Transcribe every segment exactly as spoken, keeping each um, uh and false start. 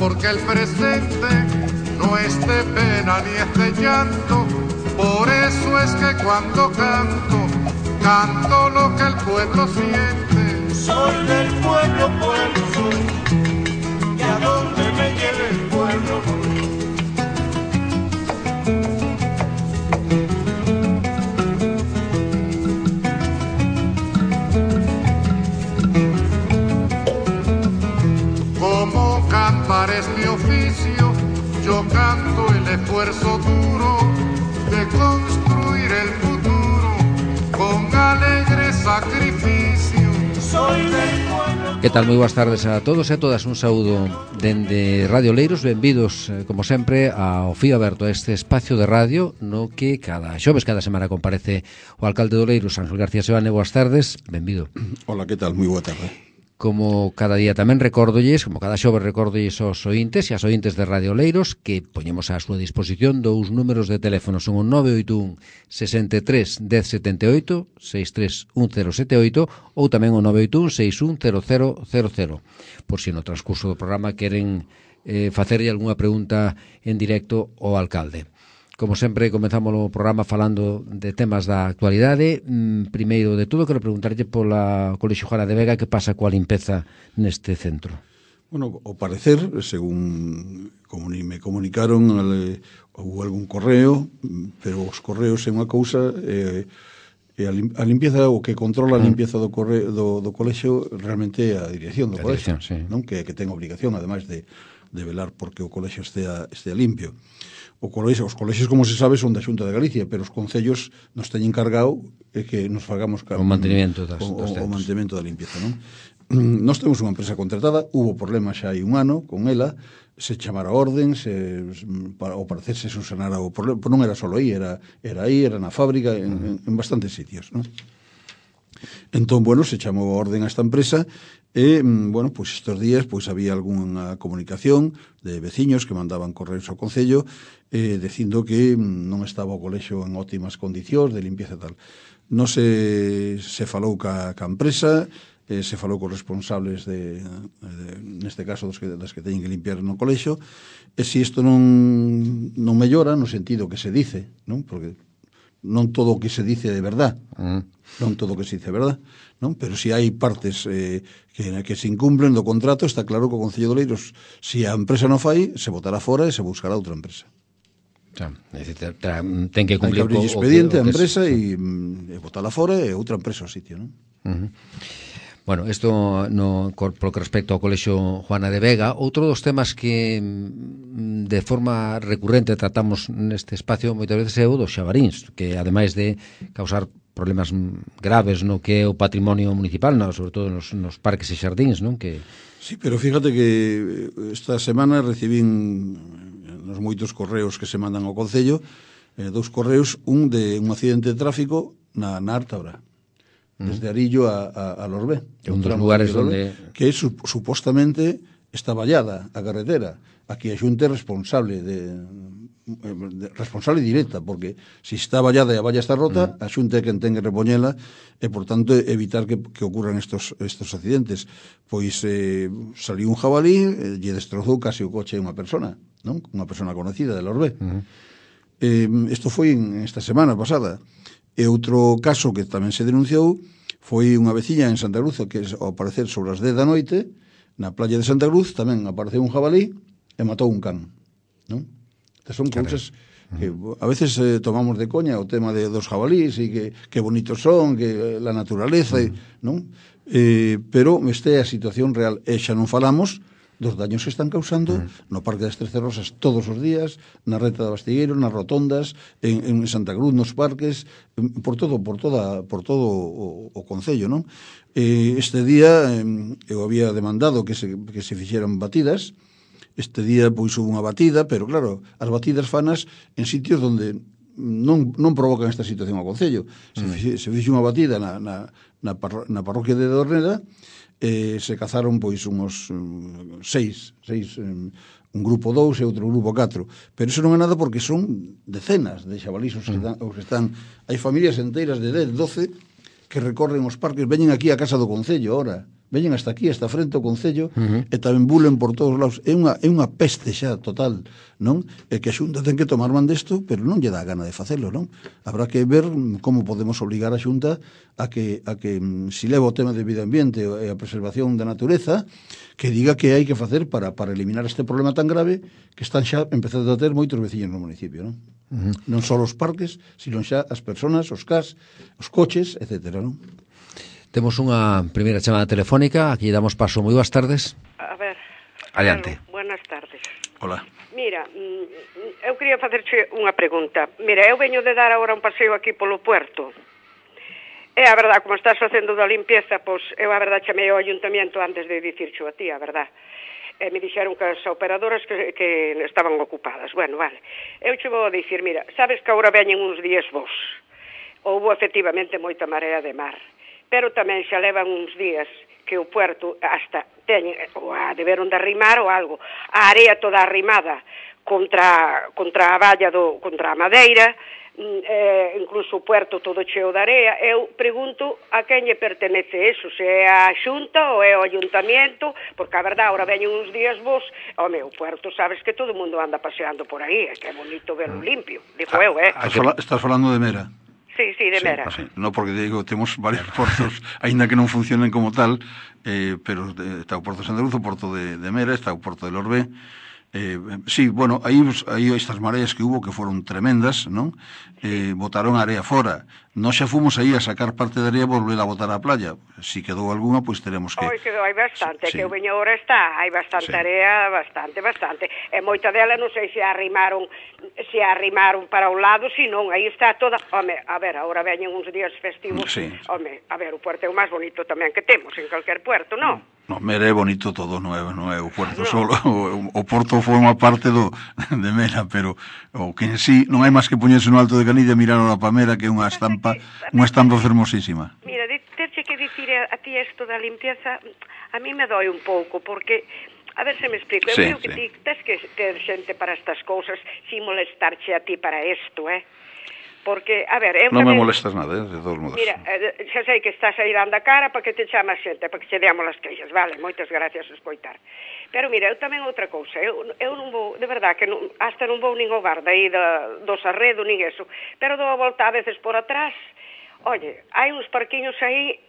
porque el presente no es de pena ni es de llanto. Por eso es que cuando canto, canto lo que el pueblo siente. Soy del pueblo, pueblo soy, y a donde me lleve el pueblo voy. Como cantar es mi oficio, yo canto el esfuerzo duro de construir el futuro con alegre sacrificio. Soy del pueblo. Que tal? Moi boas tardes a todos e a todas. Un saúdo dende Radio Oleiros. Benvidos, como sempre, ao Fío Aberto, a este espacio de radio no que cada xoves, cada semana comparece o alcalde de Oleiros, Ángel García Sebane. Boas tardes, benvido. Hola, que tal? Moi boa tarde. Como cada día tamén recórdolles, como cada xoves recórdolles aos ointes e as ointes de Radio Oleiros que poñemos á súa disposición dous números de teléfono. Son o nove oito un, sesenta e tres, dez setenta e oito, seis tres un cero sete oito ou tamén o nove oito un, seis un cero cero cero cero. Por si no transcurso do programa queren eh, facerlle algunha pregunta en directo ao alcalde. Como sempre, comenzamos o programa falando de temas da actualidade. Mm, primeiro de todo, quero preguntarlle pola Colexio Juana de Vega que pasa coa limpeza neste centro. Bueno, ao parecer, según comuni, me comunicaron, ale, houve algún correo, pero os correos é unha cousa, eh, e a, lim, a limpieza, o que controla a limpieza do, correo, do, do colexio realmente é a dirección do a colexio, dirección, sí. Non? Que, que ten obligación, ademais de, de velar porque o colexio estea, estea limpio. O colexio, os colexios, como se sabe, son da Xunta de Galicia, pero os concellos nos teñen encargado é que nos fagamos o mantenimento das, o, das o mantenimento da limpieza, non? Nós temos unha empresa contratada, hubo problemas xa hai un ano con ela, se chamara orden, se, para, ao parecer se subsanara o problema, non era só aí, era, era aí, era na fábrica, en, en, en bastantes sitios, non? Entón, bueno, se chamou a orden a esta empresa e, bueno, pois estes días pois había algunha comunicación de veciños que mandaban correos ao Concello eh, dicindo que non estaba o colexio en óptimas condicións de limpieza e tal. Non se, se falou ca, ca empresa, eh, se falou con responsables de, de neste caso dos que, das que teñen que limpiar no colexio, e se isto non, non mellora no sentido que se dice, non? Porque non todo o que se dice é verdad, uh-huh. non todo o que se dice é verdad, non? Pero se hai partes eh, que, que se incumplen do contrato, está claro que o Concello de Oleiros, se a empresa non fai, se botará fora e se buscará outra empresa. Xa, ten que cumplir hai que abrir expediente a empresa e, e botarla fora e outra empresa ao sitio, non? Uh-huh. Bueno, isto no, por que respecto ao Colexio Juana de Vega. Outro dos temas que de forma recurrente tratamos neste espacio moitas veces é o dos xabaríns, que ademais de causar problemas graves no que é o patrimonio municipal, no, sobre todo nos, nos parques e xardíns, non? Que... Sí, pero fíjate que esta semana recibín nos moitos correos que se mandan ao Concello, eh, dous correos, un de un accidente de tráfico na, na Ártabra, desde Arillo a, a, a Lorbé. É un dos lugares onde... Que su, supostamente está vallada a carretera. Aquí a Xunta é responsable de, de responsable directa, porque se está vallada e a valla está rota, mm. a Xunta é quen ten que repoñela e, por tanto, evitar que, que ocurran estos, estos accidentes. Pois eh, saliu un jabalí e lle destrozou casi o coche a unha persona, non? Unha persona conocida de Lorbé. Mm. Eh, isto foi en esta semana pasada. E outro caso que tamén se denunciou foi unha veciña en Santa Cruz que, ao aparecer sobre as dez da noite, na playa de Santa Cruz, tamén apareceu un jabalí e matou un can, non? Estas son cousas que a veces eh, tomamos de coña o tema de, dos jabalís e que, que bonitos son, que la naturaleza, e, non? Eh, pero esta é a situación real. E xa non falamos dos daños que están causando mm. no Parque das Trece Rosas todos os días, na Reta de Bastigueiro, nas rotondas, en, en Santa Cruz, nos parques, por todo, por toda, por todo o, o Concello, non? Eh, este día eh, eu había demandado que se, que se fixeran batidas. Este día pois hubo unha batida, pero claro, as batidas fanas en sitios onde non, non provocan esta situación ao Concello. Se, mm. fixe, se fixe unha batida na, na, na, parro, na parroquia de Dorneda, eh, se cazaron pois uns um, seis, seis um, un grupo dous e outro grupo catro, pero iso non é nada porque son decenas de xabalís os que, mm. os que están, hai familias enteiras de dez, doce que recorren os parques, veñen aquí a casa do Concello ahora, veñen hasta aquí, hasta frente ao Concello, Uh-huh. e tamén bulen por todos lados. É unha, é unha peste xa total, non? E que a Xunta ten que tomar man desto, pero non lle dá gana de facelo, non? Habrá que ver como podemos obligar a Xunta a que, a que si leva o tema de medio ambiente e a preservación da natureza, que diga que hai que facer para, para eliminar este problema tan grave que están xa empezando a ter moitos veciños no municipio, non? Uh-huh. Non só os parques, sino xa as personas, os cas, os coches, etcétera, non? Temos unha primeira chamada telefónica, aquí damos paso. Moi boas tardes. A ver. Adiante. Bueno, buenas tardes. Hola. Mira, eu quería facerche unha pregunta. Mira, eu veño de dar agora un paseo aquí polo puerto. E a verdad, como estás facendo da limpieza, pois eu a verdad chamei ao ayuntamiento antes de dicircho a ti, a verdad. E me dixeron que as operadoras que, que estaban ocupadas. Bueno, vale. Eu che vou a dicir, mira, sabes que agora veñen uns días vos. Houbo efectivamente moita marea de mar. Pero tamén xa levan uns días que o puerto hasta teñen, ou a deberon de arrimar ou algo, a area toda arrimada contra, contra a valla, do, contra a madeira, eh, incluso o puerto todo cheo de area. Eu pregunto a quen lle pertenece eso, se é a Xunta ou é o Ayuntamiento, porque a verdade, ahora veñen uns días vos, o meu puerto, sabes que todo o mundo anda paseando por aí, é que é bonito verlo limpio, digo eu, eh? Estás, fala, estás falando de Mera? Sí, sí, de Mera. Sí, sí. No, porque digo, temos varios portos, aínda que non funcionen como tal, eh, pero eh, está o Porto de Sandaluz, o Porto de, de Mera, está o Porto de Lorbé. Eh, sí, bueno, aí, aí estas mareas que hubo que foron tremendas, non? Eh, botaron a area fora. Nós xa fomos aí a sacar parte da area e volver a botar á playa. Si quedou algunha, pois teremos que... Oi, quedou, hai bastante, sí, que sí. o veño ahora está, hai bastante Sí. area, bastante, bastante. E moita dela non sei se a arrimaron, se a arrimaron para un lado, si non, aí está toda... Home, a ver, agora veñen uns días festivos. Sí. Home, a ver, o puerto é o máis bonito tamén que temos en calquer puerto, non? No, Mera é bonito todo, non é, non é o Porto no. Solo, o, o Porto forma parte do, de Mera, pero o que en sí non hai máis que poñerse no alto de Canilla e mirar a Pamera, que é unha estampa, unha estampa fermosísima. Mira, terche que dicir a, a ti isto da limpieza, a mí me doi un pouco, porque... A ver se me explico, eu Sí, creo que sí. ti tes que ter xente para estas cousas sin molestarche a ti para isto, eh? Porque, a ver, eu Non me tamén... molestas nada, eh, de todos modos. Mira, eh, xa sei que estás aí dando a cara para que te chama xente, para que che deamos as queixas, vale, moitas gracias a escoitar. Pero mira, eu tamén outra cousa, eu, eu non vou, de verdad, que non, hasta non vou nin ao bar daí da, do Sarredo, nin eso, pero dou a volta a veces por atrás. Oye, hai uns parquiños aí,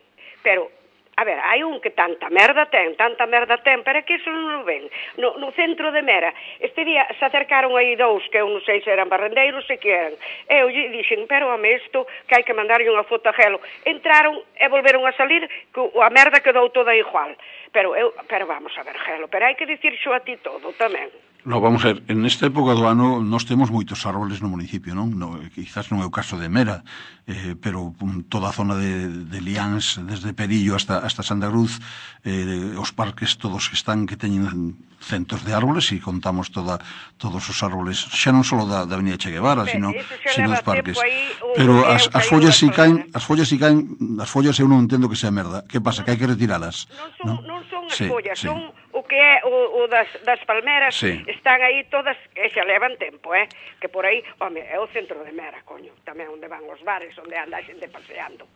pero... A ver, hai un que tanta merda ten, tanta merda ten, pero é que eso non o ven. No, no centro de Mera, este día se acercaron aí dous, que eu non sei se eran barrendeiros, se que eran. Eu lle dixen, pero home, isto, que hai que mandarlle unha foto a Gelo. Entraron e volveron a salir, que a merda quedou toda igual. Pero eu, pero vamos a ver, Gelo, pero hai que dicir xo a ti todo tamén. No, vamos a ver, en esta época do ano nós temos moitos árboles no municipio, non? No, quizás non é o caso de Mera, eh, pero um, toda a zona de, de Liáns, desde Perillo hasta, hasta Santa Cruz, eh, os parques todos que están, que teñen centos de árboles, e contamos toda, todos os árboles, xa non só da, da Avenida Che Guevara, Be, sino, eso xa sino leva os parques. tempo aí, o Pero que as, eu as caí follas unha si caen, folha. as follas si caen, as follas eu non entendo que sea merda. Que pasa? Que hai que retiralas. Non son, non? non son as Sí, follas, sí. son o que é o, o das, das palmeras, Sí. están aí todas, e xa levan tempo, eh? Que por aí, home, é o centro de Mera, coño, tamén onde van os bares, onde anda a xente paseando.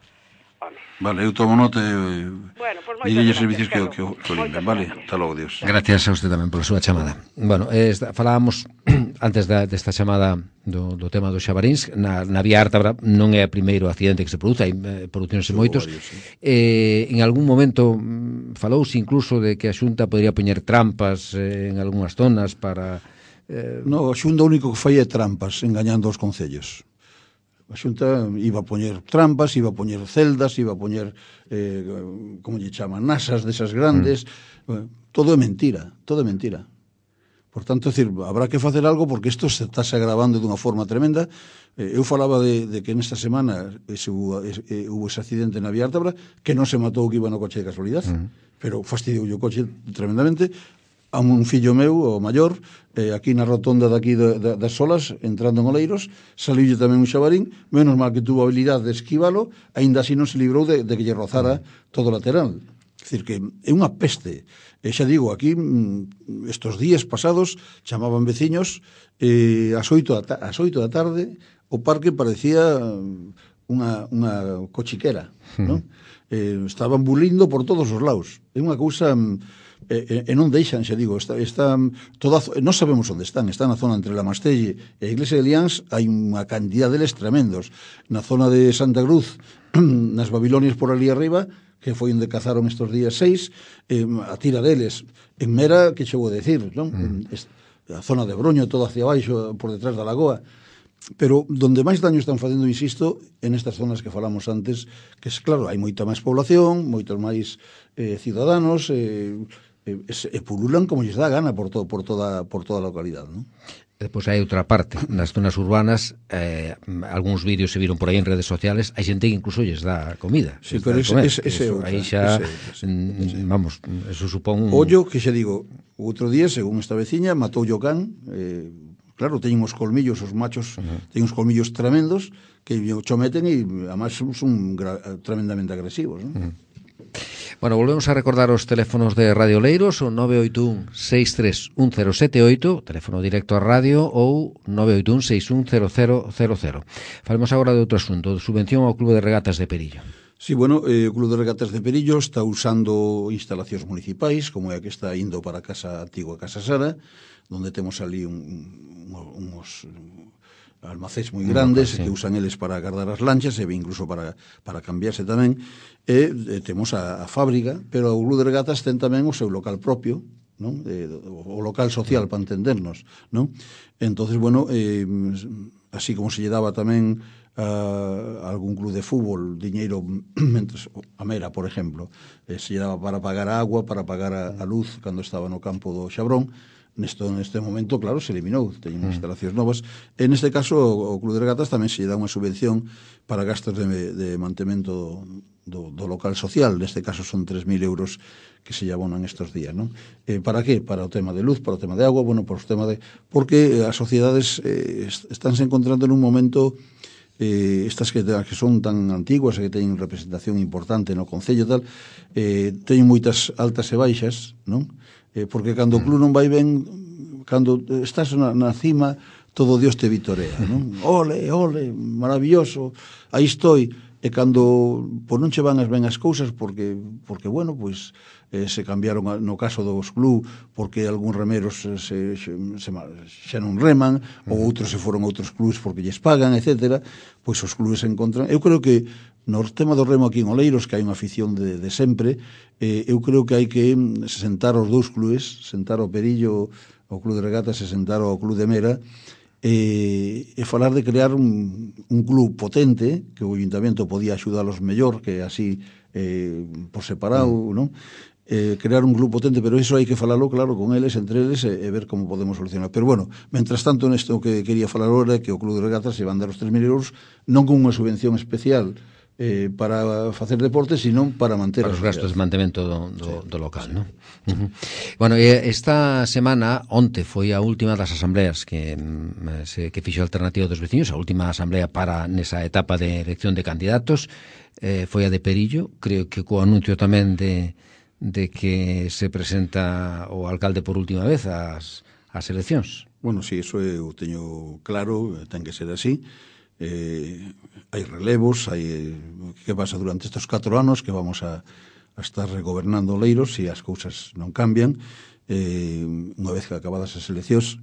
Home. Vale, eu tomo nota e Bueno, pues moitas direlle gracias, servicios que, Carlos. que, o- que o limpen, Moitas vale? gracias. Hasta logo, Dios. Gracias a usted tamén pola súa chamada. Bueno, eh, esta, falábamos antes da, desta chamada do, do tema dos xabaríns. Na, na vía Ártabra non é o primeiro accidente que se produce, hai eh, producións e moitos. varios, sí. Eh, en algún momento mm, falouse incluso de que a Xunta podría poñer trampas eh, en algunhas zonas para... Eh, No, a Xunta o único que fai é trampas, engañando aos concellos. A Xunta iba a poñer trampas, iba a poñer celdas, iba a poñer, eh, como lle chaman, nasas desas grandes. Mm. Todo é mentira, todo é mentira. Por tanto, é dicir, habrá que facer algo porque isto se está se agravando dunha forma tremenda. Eh, eu falaba de, de que nesta semana ese, hubo, ese, eh, hubo ese accidente na vía Ártabra, que non se matou que iba no coche de casualidade, mm. pero fastidiou o coche tremendamente. A un fillo meu, o maior, eh, aquí na rotonda daqui de, de, das Solas, entrando en Oleiros, saliulle tamén un xabarín, menos mal que tuvo a habilidade de esquivalo, aínda así non se librou de, de que lle rozara todo o lateral. É dicir, que é unha peste. E xa digo, aquí, estos días pasados, chamaban veciños, eh, ás oito da, ás oito da tarde, o parque parecía unha, unha cochiquera, uh-huh. non? Eh, estaban bulindo por todos os lados. É unha cousa... E, e non deixan, xa digo, está, está toda, non sabemos onde están, está na zona entre la Mastelle e a Iglesia de Liáns, hai unha cantidad deles tremendos. Na zona de Santa Cruz, nas Babilonias por ali arriba, que foi onde cazaron estos días seis, eh, a tira deles. En Mera, que che vou decir, non? Mm. A zona de Broño, todo hacia baixo, por detrás da lagoa. Pero donde máis daño están facendo, insisto, en estas zonas que falamos antes, que é claro, hai moita máis población, moitos máis eh, ciudadanos, eh, e, e pululan como lles dá gana por, to, por, toda, por toda a localidade, non? Depois hai outra parte, nas zonas urbanas, eh, algúns vídeos se viron por aí en redes sociales, hai xente que incluso lles dá comida. Sí, pero ese, ese, ese eso, outra, aí xa, ese, ese, ese. vamos, eso supón... Un... Ollo, que xa digo, outro día, según esta veciña, matou o can, eh, claro, teñen os colmillos, os machos, uh-huh. teñen os colmillos tremendos, que o chometen e, además, son, son gra- tremendamente agresivos, non? Uh-huh. Bueno, volvemos a recordar os teléfonos de Radio Oleiros, o nove oito un seis tres un cero sete oito, teléfono directo a radio, ou nove oito un seis un cero cero cero cero. Falemos agora de outro asunto, de subvención ao Clube de Regatas de Perillo. Sí, bueno, eh, o Clube de Regatas de Perillo está usando instalacións municipais, como é a que está indo para a casa antigua Casa Sara, onde temos ali un, un, uns almacéns moi grandes, local, sí, que usan eles para guardar as lanchas e incluso para, para cambiarse tamén, e, e temos a, a fábrica, pero o Clube de Regatas ten tamén o seu local propio, non? E, o local social, para entendernos, non? Entonces, bueno, eh, así como se lle daba tamén a algún club de fútbol diñeiro, mentres, a Mera, por exemplo, eh, se lle daba para pagar a agua, para pagar a, a luz cando estaba no campo do Xabrón. Nesto, neste momento, claro, se eliminou, teñen mm. instalacións novas. En este caso, o, o Club de Regatas tamén se lle dá unha subvención para gastos de, de mantemento do, do local social. Neste caso son tres mil euros que se lle abonan estes días, non? Eh, para que? Para o tema de luz, para o tema de agua, bueno, por o tema de... Porque as sociedades eh, estánse encontrando nun momento... Eh, estas que, que son tan antiguas e que teñen representación importante no Concello e tal, eh, teñen moitas altas e baixas, non? Eh, porque cando o club non vai ben, cando estás na, na cima, todo Dios te vitorea, non? Ole, ole, maravilloso, aí estou. E cando pois non che van as ben as cousas, porque, porque bueno, pois eh, se cambiaron a, no caso dos club, porque algúns remeros se, se, se, xa non reman, ou outros se foron a outros clubs porque lles pagan, etcétera, pois os clubes se encontran. Eu creo que no tema do remo aquí en Oleiros, que hai unha afición de, de sempre, eh, eu creo que hai que sentar os dous clubes, sentar o Perillo, o Club de Regatas, e sentar o Club de Mera, e, e falar de crear un, un club potente, que o Ayuntamento podía axudalos mellor, que así eh, por separado, mm. non? Eh, crear un club potente, pero iso hai que falalo claro con eles, entre eles, e, e ver como podemos solucionar. Pero bueno, mentras tanto, nesto que quería falar agora é que o Club de Regatas se van dar os tres mil euros, non con unha subvención especial eh, para facer deporte, sino para manter para os gastos de mantemento do, do, sí, do local, sí, non? Uh-huh. Bueno, esta semana, onte, foi a última das asambleas que, se, que fixo a Alternativa dos Veciños, a última asamblea para nesa etapa de elección de candidatos, eh, foi a de Perillo, creo que co anuncio tamén de, de que se presenta o alcalde por última vez ás, ás eleccións. Bueno, si, sí, iso eu teño claro, ten que ser así. Eh, hai relevos, hai que pasa durante estes catro anos que vamos a, a estar regobernando Oleiros se as cousas non cambian. Eh, unha vez que acabadas as eleccións,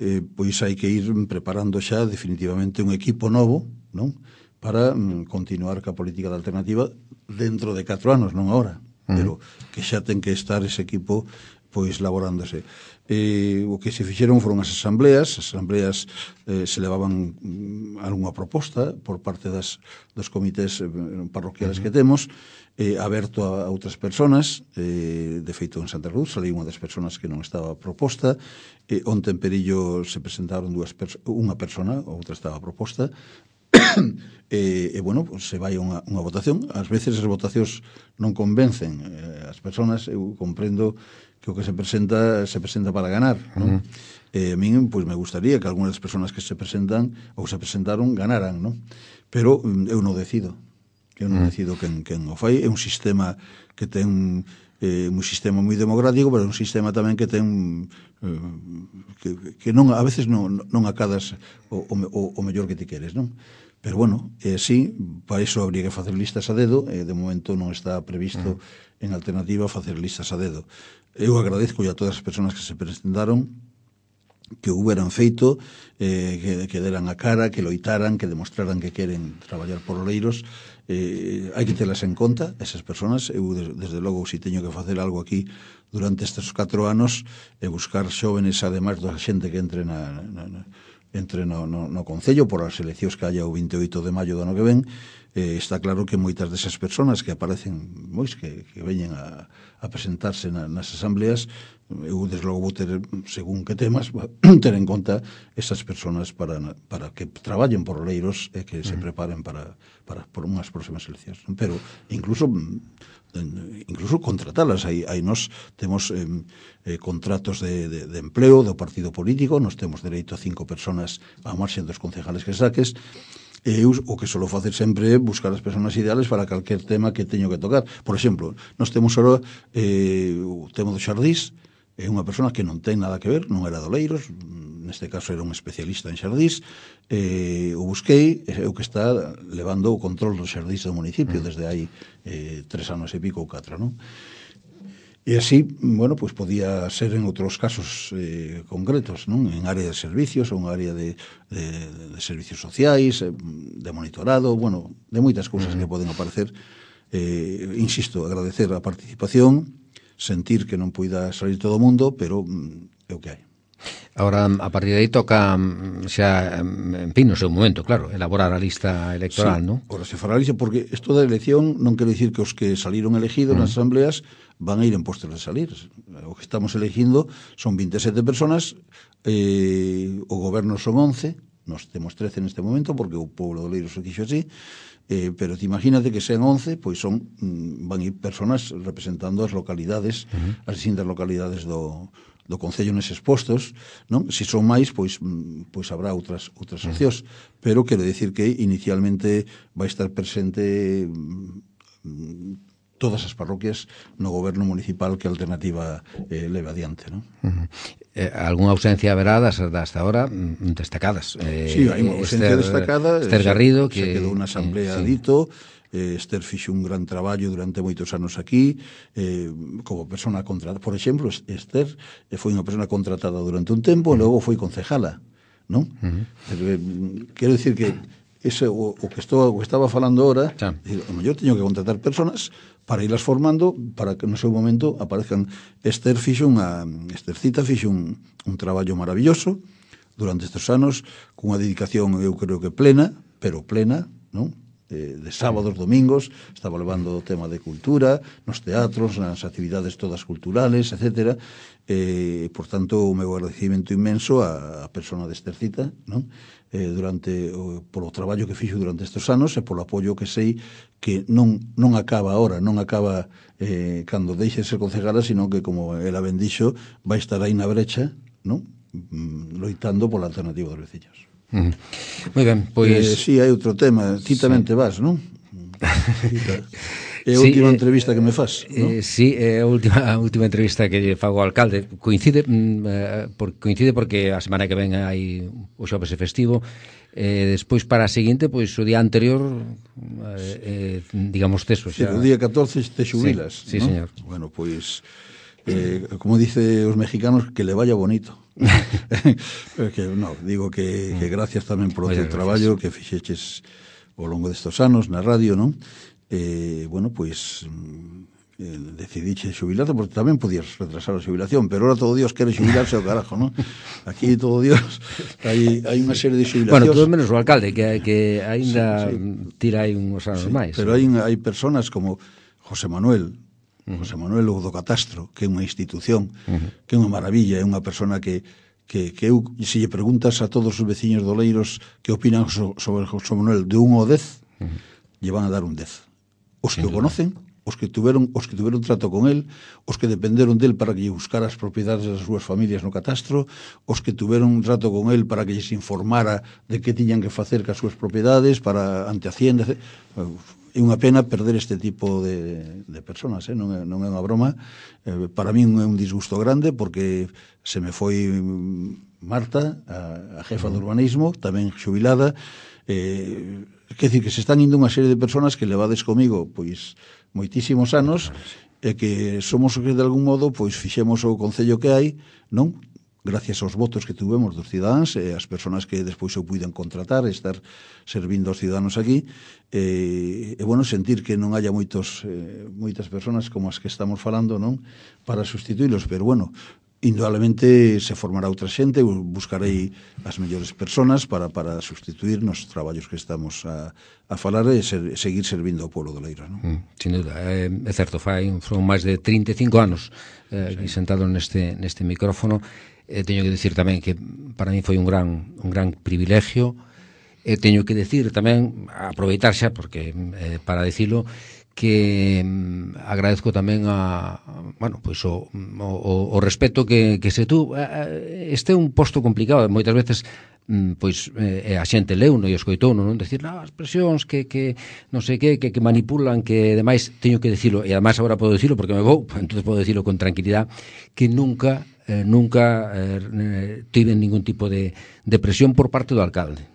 eh, pois hai que ir preparando xa definitivamente un equipo novo, non? Para mm, continuar ca política da alternativa dentro de catro anos, non agora, uh-huh. pero que xa ten que estar ese equipo pois laborándose. Eh, o que se fixeron foron as asambleas, as asambleas eh, se levaban mm, algunha proposta por parte das, dos comités eh, parroquiales uh-huh. que temos, eh, aberto a, a outras personas, eh, de feito en Santa Cruz saliu unha das personas que non estaba proposta, eh, onte en Perillo se presentaron dúas perso- unha persona, outra estaba proposta, e, e bueno, pues se vai a unha, unha votación. Ás veces as votacións non convencen eh, as persoas, eu comprendo que o que se presenta se presenta para ganar, non? Uh-huh. Eh, a min, pois, me gustaría que algunhas das persoas que se presentan ou se presentaron ganaran, non? Pero eu non decido. Eu non uh-huh. decido quen, quen o fai. É un sistema que ten eh, un sistema moi democrático, pero é un sistema tamén que ten eh, que, que non a veces non, non acadas o, o, o mellor que ti queres, non? Pero, bueno, eh, sí, para iso habría que facer listas a dedo, e de momento non está previsto uh-huh. en alternativa facer listas a dedo. Eu agradezco a todas as persoas que se presentaron, que houberan feito, eh, que, que deran a cara, que loitaran, que demostraran que queren traballar por Oleiros. Eh, hai que telas en conta, esas persoas. Eu, desde logo, si teño que facer algo aquí durante estes catro anos, e buscar xóvenes, ademais da xente que entre na... na, na entre no, no, no Concello por as eleccións que haya o vinte e oito de maio do ano que ven, eh, está claro que moitas desas persoas que aparecen, mois, que, que veñen a, a presentarse na, nas asambleas, eu desde logo vou ter, según que temas, ter en conta esas persoas para, para que traballen por Oleiros e que se preparen para, para por unhas próximas eleccións. Pero incluso incluso contratalas. Aí, aí nos temos eh, eh, contratos de, de, de empleo do partido político, nos temos dereito a cinco personas a marxen dos concejales que saques, e eu o que solo facer sempre é buscar as persoas ideales para calquer tema que teño que tocar. Por exemplo, nos temos ahora eh, o tema dos xardís, é unha persona que non ten nada que ver, non era de Oleiros, neste caso era un especialista en xardís, eh, o busquei, é o que está levando o control dos xardís do municipio desde hai eh, tres anos e pico ou catro, non? E así, bueno, pues podía ser en outros casos eh, concretos, non? En área de servicios ou en área de, de, de servicios sociais, eh, de monitorado, bueno, de moitas cousas que poden aparecer. Eh, insisto, agradecer a participación, sentir que non poida salir todo o mundo, pero mm, é o que hai. Ahora, a partir de aí toca xa, en fin, no seu momento, claro, elaborar a lista electoral, sí, non? Ora se fará a lista, porque isto da elección non quere dicir que os que saliron elegidos mm. nas asambleas van a ir en postos de salir. O que estamos elegindo son vinte e sete personas, eh, o goberno son once, nos temos trece neste momento, porque o pobo de Oleiros o quixo así, eh, pero te imagínate que sean once, pois son van ir personas representando as localidades, uh-huh. as distintas localidades do do Concello neses postos, non? Se son máis, pois pois habrá outras outras opcións, pero quero dicir que inicialmente vai estar presente todas as parroquias no goberno municipal que a alternativa eh, leve adiante, non? Uh-huh. Eh, algunha ausencia haberá das, das hasta ahora destacadas. Eh, sí, hai unha ausencia Esther, destacada. Esther Garrido, que se quedou unha asamblea eh, sí. dito. Eh, Esther fixo un gran traballo durante moitos anos aquí, eh, como persona contratada. Por exemplo, Esther eh, foi unha persona contratada durante un tempo, e logo foi concejala, non? Uh-huh. Pero, eh, quero dicir que ese, o, o, que estou, o que estaba falando ahora, sí. Decir, o mellor teño que contratar personas para irlas formando, para que no seu momento aparezcan. Esther fixo unha, Esthercita fixo un, un traballo maravilloso durante estes anos, cunha dedicación, eu creo que plena, pero plena, non? De sábados, domingos, estaba levando o tema de cultura, nos teatros, nas actividades todas culturales, etcétera. Eh, por tanto, o meu agradecimento inmenso á, a persona de Estercita, non? Eh, durante o, polo traballo que fixo durante estes anos e polo apoio que sei que non, non acaba ahora, non acaba eh, cando deixe de ser concejala, sino que, como ela ben dixo, vai estar aí na brecha, non? Mm, loitando pola alternativa dos veciños. Uh-huh. Moi ben, pois... Eh, si, sí, hai outro tema. Ti tamén te vas, non? É a sí, última eh, entrevista que me fas, non? Eh, sí, é a última, a última entrevista que lle fago ao alcalde. Coincide, mm, por, coincide porque a semana que ven hai o xoves festivo. Eh, despois, para a seguinte, pois o día anterior, eh, eh, digamos teso xa... Sí, o día catorce te xubilas, sí, sí, ¿no? Señor. Bueno, pois... Eh, como dice os mexicanos, que le vaya bonito. Que, no, digo que, que gracias tamén por o teu traballo que fixeches ao longo destos anos na radio, non? Eh, bueno, pois eh, decidiche xubilarte, porque tamén podías retrasar a xubilación, pero ahora todo Dios quere xubilarse ao carajo, non? Aquí todo Dios hai, hai unha serie de xubilacións. Bueno, todo menos o alcalde, que, que ainda sí, sí. tira aí uns anos sí, máis. Pero hai, hai personas como José Manuel, José Manuel o do Catastro, que é unha institución, uh-huh. que é unha maravilla, é unha persona que, que, que eu, se lle preguntas a todos os veciños do Oleiros que opinan so, sobre José Manuel de un ao dez, uh-huh. lle van a dar un dez. Os que o conocen, os que tuveron os que tuveron trato con el, os que dependeron del para que lle buscara as propiedades das súas familias no catastro, os que tuveron un trato con el para que lles informara de que tiñan que facer cas súas propiedades para ante Hacienda, etcétera. É unha pena perder este tipo de, de personas, eh? non, é, non é unha broma. Eh, para min é un disgusto grande porque se me foi Marta, a, a jefa de urbanismo, tamén xubilada, Eh, quer dicir que se están indo unha serie de personas que levades comigo pois moitísimos anos e que somos que de algún modo pois fixemos o concello que hai, non? Gracias aos votos que tuvemos dos cidadáns e as persoas que despois eu puiden contratar e estar servindo aos cidadáns aquí e, e bueno, sentir que non haya moitos eh, moitas persoas como as que estamos falando, non? Para sustituílos, pero bueno, indudablemente se formará outra xente, eu buscarei as mellores persoas para, para sustituir nos traballos que estamos a, a falar e ser, seguir servindo ao pueblo do Leiros, non? Mm, sin duda, é, é certo, fai, foron máis de trinta e cinco anos eh, sí. sentado neste, neste micrófono. Eh, teño que decir tamén que para mí foi un gran un gran privilegio e eh, teño que decir tamén, aproveitar xa porque eh, para dicilo que mm, agradezco tamén a, bueno, pois o, o, o respeto que, que se tú eh, este é un posto complicado, moitas veces mm, pois eh, a xente leuno e escoitou non decir, non, as presións que, que non sei que, que, que manipulan, que demais teño que decirlo, e ademais agora podo decirlo porque me vou, entonces podo decirlo con tranquilidade, que nunca Eh, nunca eh, tiven ningún tipo de, de presión por parte do alcalde.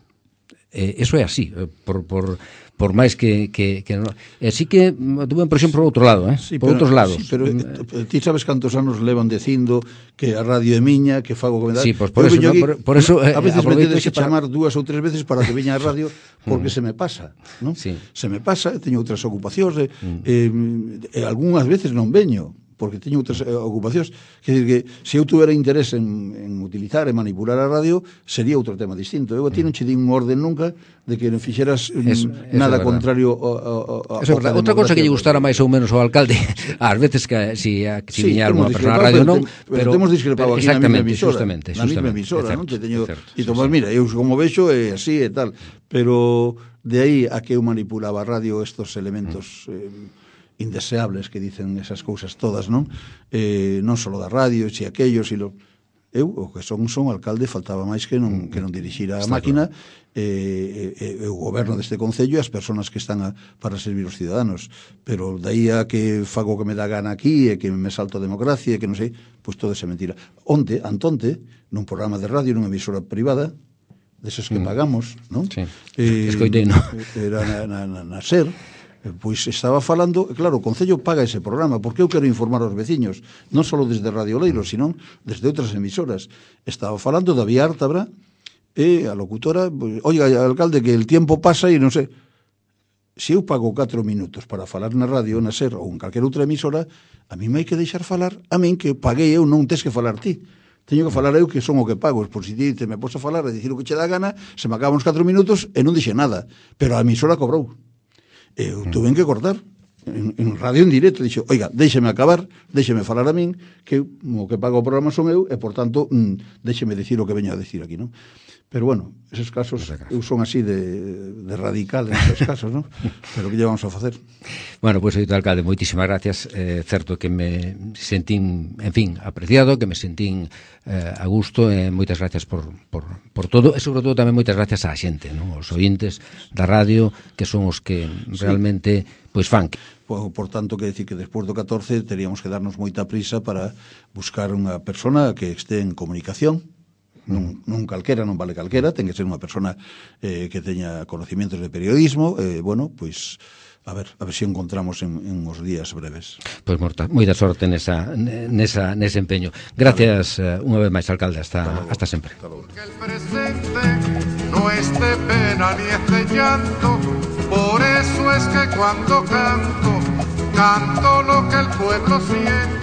Eh, eso é así, eh, por, por, por máis que, que, que no. E así que tuve presión por outro lado, eh? Sí, por pero, outros lados. Sí, pero eh, ti sabes cantos anos levan dicindo que a radio é miña, que fago que me dá. Sí, pues por eso, no, aquí, por, por eso eh, a veces me tedes que para... chamar dúas ou tres veces para que veña a radio porque se me pasa, non? Sí. Se me pasa, teño outras ocupacións, eh, mm. eh, eh, algunhas veces non veño porque teño outras eh, ocupacións. Quer dizer que se eu tuvera interés en, en utilizar e manipular a radio, sería outro tema distinto. Eu a ti non che din un orden nunca de que non fixeras eso, nada eso contrario a, a, a, eso a outra cousa que lle gustara máis ou menos ao alcalde, ás veces que si, si sí, viña unha persona a radio non, pero, pero temos discrepado aquí na mesma emisora, justamente, na mesma emisora, certo, non? Te teño, certo, e Tomás, sí, mira, eu como vexo é así e tal, pero de aí a que eu manipulaba a radio estos elementos mm. eh, indeseables que dicen esas cousas todas, non? Eh, non só da radio, si aquellos e lo... Eu, o que son, son alcalde, faltaba máis que non, que non dirixira a máquina e eh, eh, o goberno deste concello e as persoas que están a, para servir os ciudadanos. Pero daí a que fago que me dá gana aquí e que me salto a democracia e que non sei, pois todo é mentira. Onte, antonte, nun programa de radio, nunha emisora privada, deses que mm. pagamos, non? Sí, eh, escoitei, non? Era na, na, na, na SER, pois estaba falando, claro, o Concello paga ese programa, porque eu quero informar aos veciños, non só desde Radio Leiro, sino desde outras emisoras. Estaba falando da Vía Ártabra, e a locutora, pues, oiga, alcalde, que el tiempo pasa e non sei. Se eu pago catro minutos para falar na radio, na SER ou en calquera outra emisora, a mí me hai que deixar falar, a min que paguei eu, non tes que falar ti. Teño que falar eu que son o que pago, por si ti te me pos a falar e dicir o que che dá gana, se me acaban os catro minutos e non dixe nada, pero a emisora cobrou. Eu tuve que cortar en, en radio en directo, dixo, oiga, déxeme acabar, déxeme falar a min, que o que pago o programa son eu, e por tanto, mm, déxeme dicir o que veño a decir aquí, non? Pero bueno, esos casos, eu son así de, de radical en esos casos, non? Pero que lle vamos a facer? Bueno, pois, pues, alcalde, moitísimas gracias. É eh, certo que me sentín, en fin, apreciado, que me sentín eh, a gusto, e eh, moitas gracias por, por, por todo, e sobre todo tamén moitas gracias á xente, non? Os ointes da radio, que son os que realmente, sí, pois fan. Por, por tanto, que decir que despois do catorce teríamos que darnos moita prisa para buscar unha persona que este en comunicación. Non, non calquera, non vale calquera, ten que ser unha persona eh, que teña conocimientos de periodismo, eh, bueno, pois a ver, a ver se si encontramos en, en uns días breves. Pois morta, moita sorte nesa, nesa, nese empeño. Gracias uh, unha vez máis, alcalde, hasta, hasta, hasta sempre. Que el presente no es de pena ni es de llanto, por eso es que cuando canto, canto lo que el pueblo siente.